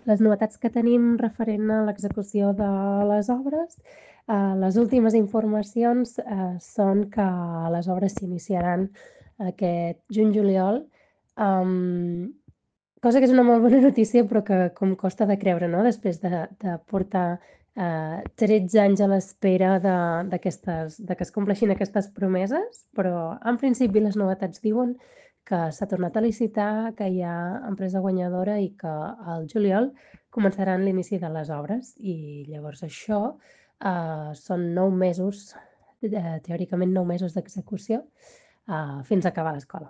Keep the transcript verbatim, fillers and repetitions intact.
les novetats que tenim referent a l'execució de les obres, eh, les últimes informacions eh, són que les obres s'iniciaran aquest juny-juliol, um, cosa que és una molt bona notícia, però que com costa de creure, no? Després de, de portar eh, tretze anys a l'espera de, d'aquestes, de que es compleixin aquestes promeses, però en principi les novetats diuen que s'ha tornat a licitar, que hi ha empresa guanyadora i que al juliol començaran l'inici de les obres. I llavors això eh, són nou mesos, eh, teòricament nou mesos d'execució, eh, fins a acabar l'escola.